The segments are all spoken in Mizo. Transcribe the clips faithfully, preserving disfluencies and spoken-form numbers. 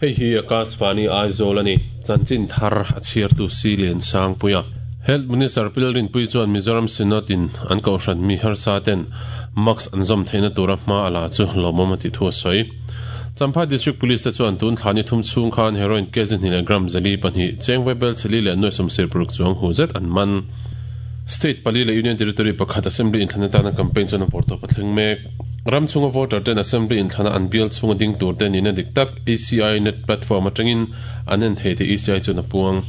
Hei hi Akashvani Aizawl ani chanchin thar a chhiartu si lian sang puia Health Minister Pilrin Pui chuan Mizoram Synod in an kohhran mi harsa ten mask an zawm theihna tura hma ala chu lawmawm a ti thu a sawi. Champhai District Police te chuan tun thlani thum chhung khan heroin kg hnih leh gram zali pahnih cheng vaibel cheli leh nuai sawmsir paruk chuang hu zet an man. State pali leh Union Territory pakhat Assembly inthlana tana campaign chuan a vawrtawp a thleng mek. Ram chhunga voter ten Assembly inthlana an bial chhunga ding tur te nihna dik tak E C I net platform atangin an en thei te E C I chuan a puang.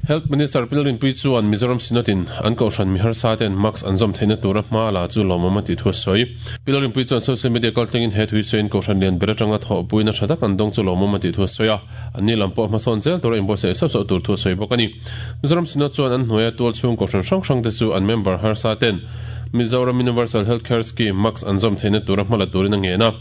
Health Minister Pilrin Pui chuan Mizoram Synod in an kohhran mi harsa ten mask an zawm theihna tura hma ala chu lawmawm a ti thu a sawi. Pilrin Pui chuan social media kaltlengin he thui sawiin kohhran lian ber atanga thawhpuina tha tak an dawng chu lawmawm a ti thu a sawi a. An ni lam pawh hmasawn zel tura inbuatsaih sauh sauh tur thu a sawi bawk a ni. Mizoram Synod chuan an hnuaia tual chhung kohhran hrang hrang te chu an member harsa ten Mizoram Universal Healthcare Scheme mask an zawm theihna tura hma la turin a ngen a.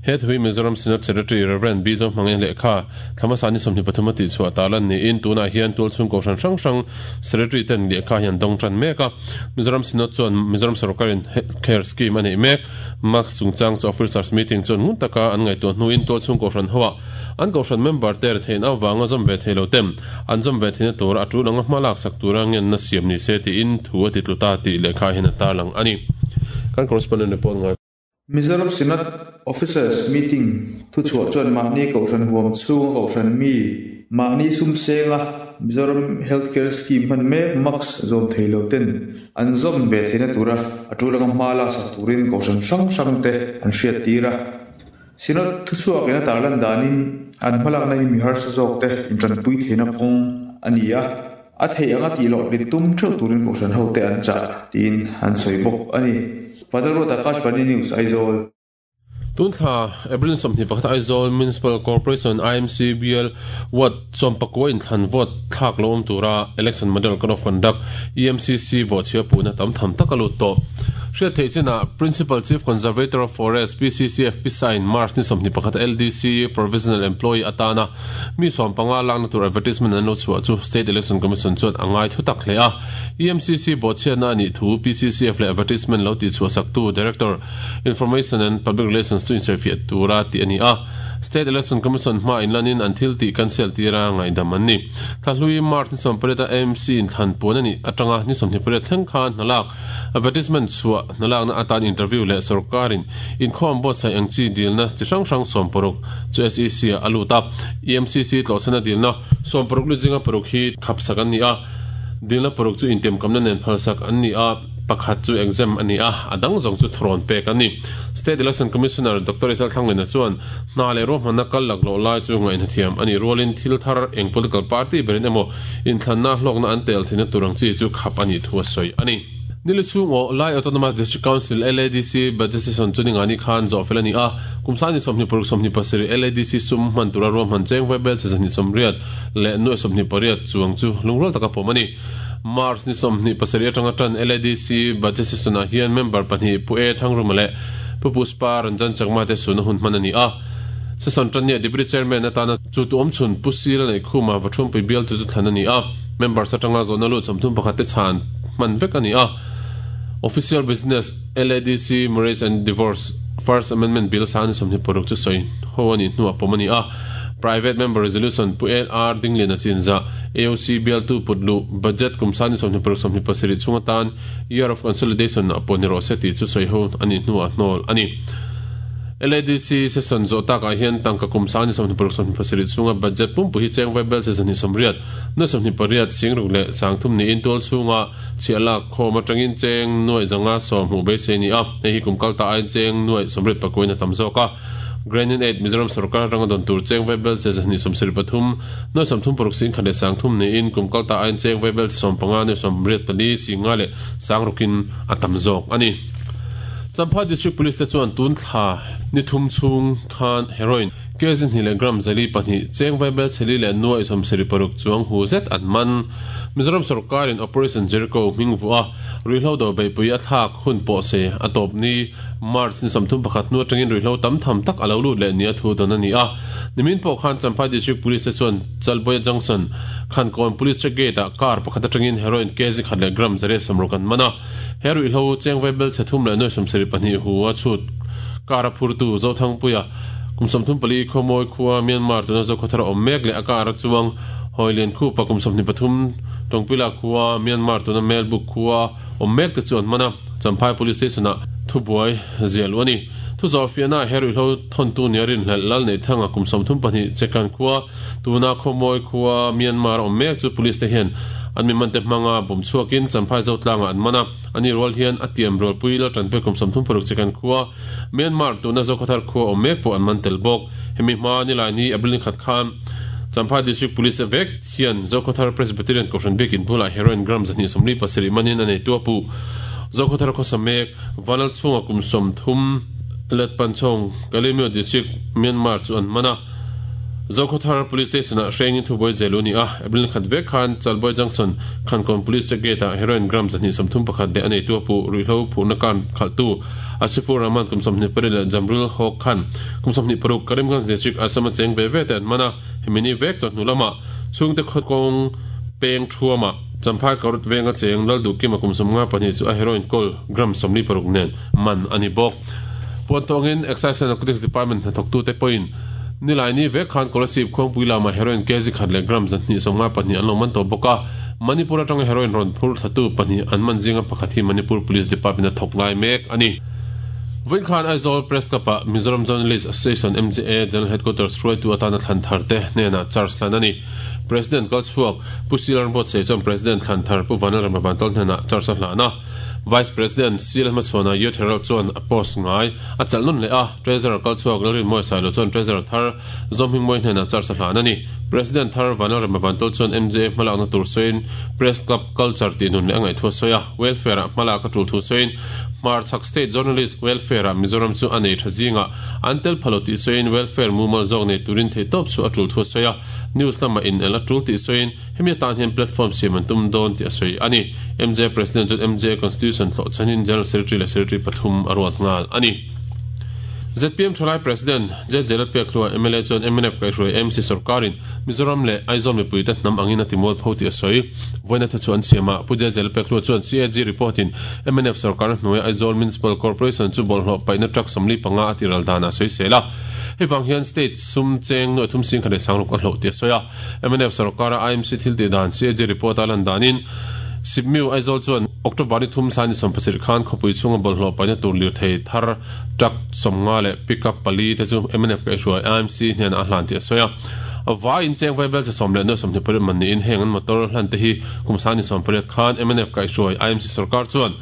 He thui Mizoram Synod Secretary Reverend Bizo Hmangaih lehkha Thlamasani sawmhnih pathum a tih chhuah tarlan niin tunah hian tual chhung kohhran hrang hrang Secretary ten lehkha hian dawng tan mek a. Mizoram Synod chuan Mizoram Sarkarin Healthcare Scheme a nei mek. Mask chungchang chu officers meeting chuan ngun taka an ngaihtuah hnuin tual chhung kohhran hoa an kohhran member te theihna awanga zawm ve theilo tem an zawm ve theihna tura a tul anga hma lak sak tura ngen na siam ni se tiin thu a ti tluta tih lehkha hian a tarlang ani. Kan correspondent report ngai. Mizoram Synod Officers Meeting thu chhuah chuan mahni kohhran huam chhung kohhran mi mahni sum senga Mizoram Healthcare Scheme hman mek mask zawm theilo ten an zawm ve theihna tura a tul anga hma lak sak turin kohhran hrang hrang te an hriat tir a. Synod thu chhuak ina tarlan danin an hmalakna hi mi harsa zawk te intranpui theihna kawng ani a. A thei anga tih loh rin tum theuh turin kohhran ho te an chah tiin an sawi bawk ani. Father Ruth Akashvani News Aizawl. Tun thla April sawmhnih pakhat Aizawl Municipal Corporation I M C B L Ward sawmpakua inthlan vote thlak lo awm tura Election Model Code of Conduct E M C C vote chhia puna tam tham tak a lut tawh. Hriat theih chinah Principal Chief Conservator of Forest P C C F P sign March ni sawmhnih pakhat L D C Provisional Employee atana mi sawmpanga lakna tur advertisement an lo chhuah chu State Election Commission chuan a ngai thu tak hle a. E M C C vote chhiatna ani thu P C C F leh advertisement lo ti chhuah saktu Director Information and Public Relations chu inserfiah tura ti ani a. State Election Commission hma inlanin an thil ti cancel tira ngaidam an ni. Thlahlui March ni sawmpariat a M C inthlan puan ani atanga ni sawmhnih pariat thleng khan hnalak advertisement chhuah hnalakna atan interview leh sarkarin inkhawm buatsaih ang chi dilna chi hrang hrang sawmparuk chu S E C a alut a. E M C C tlawhchana dilna sawmparuk lu zinga paruk hi khapsak an ni a. Dilna paruk chu intiamkamna nen phalsak an ni a. Pakhat chu exam ani a adang zawng chu thrawn pek ani. State Election Commissioner Doctor Isal Thanglena chuan hna leh ruahmanna kal lak loh lai chu ngaihna thiam ani rualin thil thar eng political party berin emaw inthlanna hlawkna an tel theihna tur ang chi chu khap ani thu a sawi ani. Nili chhung aw Lai Autonomous District Council L A D C budget session chu ningani khan zawh fel ani a. Kumsani sawmhnih paruk sawmhnih pasarih L A D C sum hman tura ruahman cheng vaibel che zahnih sawmriat leh nuai sawmhnih pariat chuang chu lungrual taka pawm ani. March ni sawmhnih pasarih atanga tan L A D C budget session ah hian member pahnih Pu E Thangruma leh Pu Puspa Ranjan Chakma te suna hun hman ani a. Session tan ni Deputy Chairman atana chu tu awm chhun Pu Sila nei khuma vathum pui bial chu chu thlan ani a. Members atanga zawhna lut sawmthum pakhat te chhan hman vek ani a. Official Business L A D C Marriage and Divorce First Amendment Bill san sawmhnih paruk chu sawi ho ani hnuah pawm ani a. Private Member Resolution Pu L R Dinglin a chinza A O C B L two putlu budget kumsani sawmhnih paruk sawmhnih pasarih chunga tan Year of Consolidation a pawh ni rawh se tih chu sawi ho ani hnuah hnawl ani. L A D C session zawh takah hian tangka kumsani sawmhnih paruk sawmhnih pasarih chunga budget pumpu hi cheng vaibel che zahnih sawmriat nuai sawmhnih pariat singruk leh sangthum niin tual chhunga chhiah lak khawm atangin cheng nuai zanga sawmhmuh beisei ni a. Hei hi kum kalta aiin cheng nuai sawmriat pakuin a tam zawk a. Grand in eight Mizoram Sarkar atanga dawn tur cheng vaibel che zahnih sawmsarih pathum nuai sawmthum paruk sing khat leh sangthum niin kum kalta aiin cheng vaibel che sawmpanga nuai sawmriat pali singa leh sangrukin a tam zawk ani. Champhai District Police te chuan tun thla ni thum chhung khan heroin kg hnih leh gram zali pahnih cheng vaibel cheli leh nuai sawmsarih paruk chuang hu zet an man. Mizoram Sarkarin Operation Jericho hming vu a ruihhlo do beihpui a thlak hun pawh se a tawp ni March ni sawmthum pakhat hnu atangin ruihhlo tam tham tak a lo lut leh ni a thu dawn ani a. Nimin pawh khan Champhai District Police te chuan Chalboya Junction Khankawn Police Check Gate ah car pakhat atangin heroin kg khat leh gram zariat sawmruk an man a. He ruihhlo cheng vaibel chhe thum leh nuai sawmsarih pahnih hu a chhut car a phurtu Zothangpuia Kum sawmthum pali Khawmawi khua Myanmar tuna Zokhawthar awm mek leh a kar chuang Hoilian khupa kum sawmhnih pathum Tawngpila khua Myanmar tuna Melbuk khua awm mek te chu an man a, Champhai Police Station ah thubuai ziah luh a ni. Thu zawh fiahna he ruihhlo thawntu nia rinhlelh lal neih thanga kum sawmthum pahnih Chekan khua tuna Khawmawi khua Myanmar awm mek chu police te hian an mi mante hmanga bum chhuakin Champhai Zotlangah an man a, ani rual hian a tiam rualpui lal tanpui kum sawmthum paruk Chekan khua Myanmar tuna Zokhawthar khua awm mek pawh an man tel bawk. Hemi hma nilai ni April ni khat khan Champhai District Police vek hian Zokhawthar Presbyterian Kohhran biakin bulah heroin gram zahnih sawmli pasarih manin a nei tu a puh. Zokhawthar khawsa mek Vanal chhunga kum sawmthum let Panchong, Kalaymyo District, Myanmar chu an man a. Zokhawthar Police Station ah hrengin thubuai zel u ni a, April khat vek khan Chalbuai Junction Khankawn Police Check Gate ah heroin gram zahnih sawmthum pakhat leh a nei tu a puh ruihhlo phurhna kan khalhtu Asifur Rahman kum sawmhnih pariat leh Jamrul Hawk Khan kum sawmhnih paruk Karimganj District Assam a cheng ve ve te an man a, hemi ni vek chawhnu lamah chhungte khawkawng peng thuamah Champhai Karut venga cheng Lalduhkima kum sawmnga pahnih chu a heroin kawl gram sawmli paruk nen man a ni bawk. Puantawngin Excise and Narcotics Department hnathawktute pawhin Nilaini vek khan Kolasib khuangpui lama heroin kg khat leh gram zahnih sawmnga pahnih an lo man tawh bawk a, Manipur atanga heroin rawn phur thlatu pahnih an man zinga pakhat hi Manipur Police Department a thawk lai mek a ni. Vawiin khan Aizawl Press Club-ah Mizoram Journalist Association, M J A, General Headquarters hruaitu atana thlan thar te hnenah charge hlan a ni. President kalchhuak Pu Silan Buatsaih chuan President thlan thar Pu Vanlalrama Vantawng hnenah charge a hlan a. Vice President Silan hmachhuana Youth Herald chuan a post ngai a chalh nawn leh a, Treasurer kalchhuak Lalrinmawi Sailo chuan Treasurer thar Zawmhmingmawi hnenah charge a hlan a ni. President thar Vanlalrama Vantawng chuan M J A hmalakna tur sawiin Press Club culture tih nun leh a ngaih thu a sawi a, welfare-ah hmalak a tul thu sawiin Hmarchhak State Journalist Welfare-ah Mizoram chu a nei tha zingah an tel pha lo tih sawiin welfare mumal zawk nei turin theihtawp chu a tul thu a sawi a, news lamah in el a tul tih sawiin hemi atan hian platform siam an tum dawn tih a sawi a ni. M J President chuan M J Constitution thlawh chhanin General Secretary leh Secretary pathum a ruat nghal a ni. Z P M Thalai President J J Lalpekhlua M L A chuan M N F kaihhruai A M C sorkarin Mizoram leh Aizawl mipuite hnam angin a timual pho tih a sawi. Vawiina thu chu an siam a, Pu J J Lalpekhlua chuan C A G report in M N F sorkar hnuaia Aizawl Municipal Corporation chu bawlhhlawh paihna truck sawmli panga a tiral danah a sawi sel a. Hei vang hian state sum cheng nuaih thum sing khat leh sangruk a hloh tih a sawi a. M N F sorkara I M C thil tih dan C A G report a lan danin Sipmiu Aizawl chuan October ni thum san ni sawm pasarih khan khawpui chhunga bawlhhlawh paihna tur lirthei thar truck sawmnga leh pickup pali te chu M N F kaihhruai I M C hnenah a hlan tih a sawi a. Vai in cheng vai bel che sawm leh nuaih sawmhnih pariat man niin heng an motor hlan te hi kum san ni sawm pariat khan M N F kaihhruai I M C sorkar chuan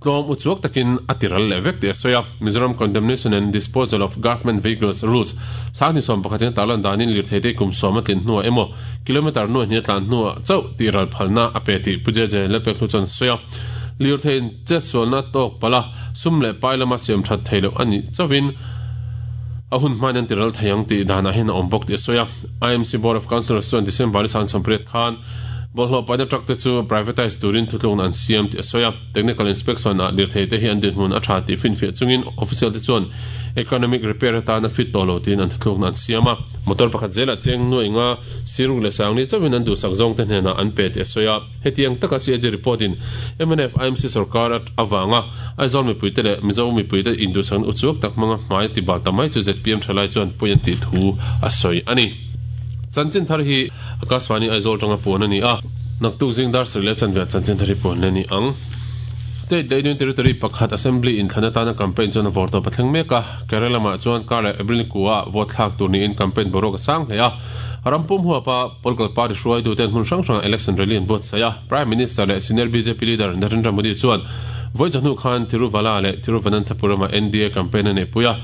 tlawm uchuak takin a tiral leh vek tih a sawi a. Mizoram Condemnation and Disposal of Government Vehicles Rules sanghnih sawm pakhatin a tarlan danin lirthei te kum sawm a tlin hnuah emaw kilometre nuaih hnih a tlan hnuah chauh tihral phalna a pe tih Pu J J Lalpekhlua chuan a sawi a. Lirtheiin chetsualna tawk palh a, sum leh pai lama siam that thei loh a nih chauhin a hun hmain an tiral thei ang tih danah hian a awm bawk tih a sawi a. I M C Board of Councillors chuan December ni sang sawmpariat khan bawlhhlawh paihna truck te chu privatise turin thutlukna an siam tih a sawi a. Technical inspection ah lirthei te hi an dinhmun a tha tih finfiah chungin official te chuan economic repair atana fit tawh lo tiin an thutlukna an siam a. Motor pakhat zelah cheng nuaih nga siruk leh sangli chauhin an duhsak zawng te hnenah an pe tih a sawi a. Hetiang taka C A G report in M N F I M C sorkar avanga Aizawl mipuite leh Mizo mipuite induhsakna uchuak tak hmanga hmai tibal ta mai chu Z P M thalai chuan pawi an tih thu a sawi a ni. Chanchin thar hi Akashvani Aizawl tanga puan a ni a, naktuk zing dar sarih leh chanve ah chanchin thar hi puan leh a ni ang. State leh Union Territory pakhat Assembly inthlan atana campaign chuan a vawr tawp a thleng mek a, Kerala lamah chuan kar leh April ni kua vote thlak tur niin campaign boruak a sang hle a. Rampum huapa political party hruaituten hmun hrang hrangah election rally an buatsaih a, Prime Minister leh senior B J P leader Narendra Modi chuan vawi chawhnu khan Thiruvala leh Thiruvananthapuram-ah N D A campaign a neihpui a,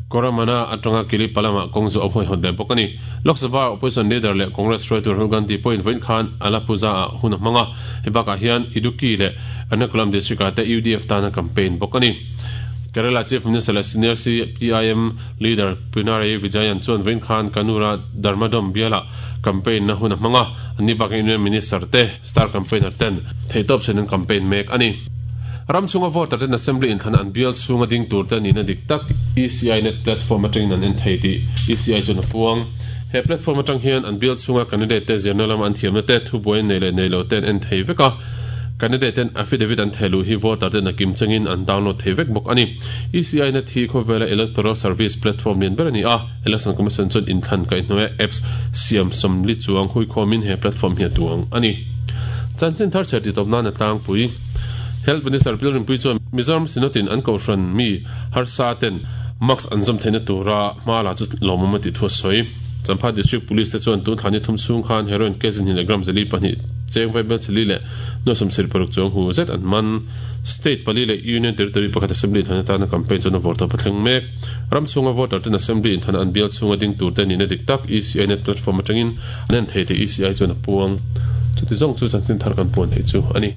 Koramana atanga Kilipalam-ah kawng zawh a huaihawt leh bawk a ni. Lok Sabha Opposition Leader leh Congress hruaitu Rahul Gandhi pawhin vawiin khan Alappuzha-ah hun a hmang a, hei bakah hian Idukki leh Ernakulam District-ah te U D F tan a campaign bawk a ni. Kerala Chief Minister leh Senior C P I M Leader Pinarayi Vijayan chuan vawiin khan Kannur-a Dharmadom bialah campaign na hun a hmang a, anni bakah Union Minister te, star campaigner ten theihtawp chhuin an campaign mek a ni. Ram chhunga voter ten Assembly inthlan an bial chhunga ding tur te nihna dik tak E C I Net platform atangin an en thei tih E C I chuan a puang. He platform atang hian an bial chhunga candidate te zirna lama an thiamna te, thubuai nei leh nei lo te an en thei vek a. Candidate ten affidavit an thelu hi voter ten a kim changin an download thei vek bawk ani. E C I net hi khawvela electoral service platform lian ber ani a. Election Commission chuan inthlan kai hnuai apps siam sawmli chuang hui khawmin he platform hi a duang ani. Chanchin thar chher ti tawp nan a tlangpui. Health Minister Pilrinpui chuan Mizoram Synod-in an kohhran mi harsa ten mask an zawm theihna tura hma la chu lawmawm a tih thu a sawi. Champha District Police te chuan tun thlani thum chhung khan heroin kg hnih leh gram zali pahnih cheng vai bel chali leh nuai sawmsarih paruk chuang hu zet an man. State pali leh Union Territory pakhat Assembly inthlan atana campaign chuan a vawr tawp a thleng mek. Ram chhunga voter ten Assembly inthlan an bial chhunga ding tur te nihna dik tak E C I Net platform atangin an en thei tih E C I chuan a puang. Chuti zawng chu chanchin thar kan puan theih chu a ni.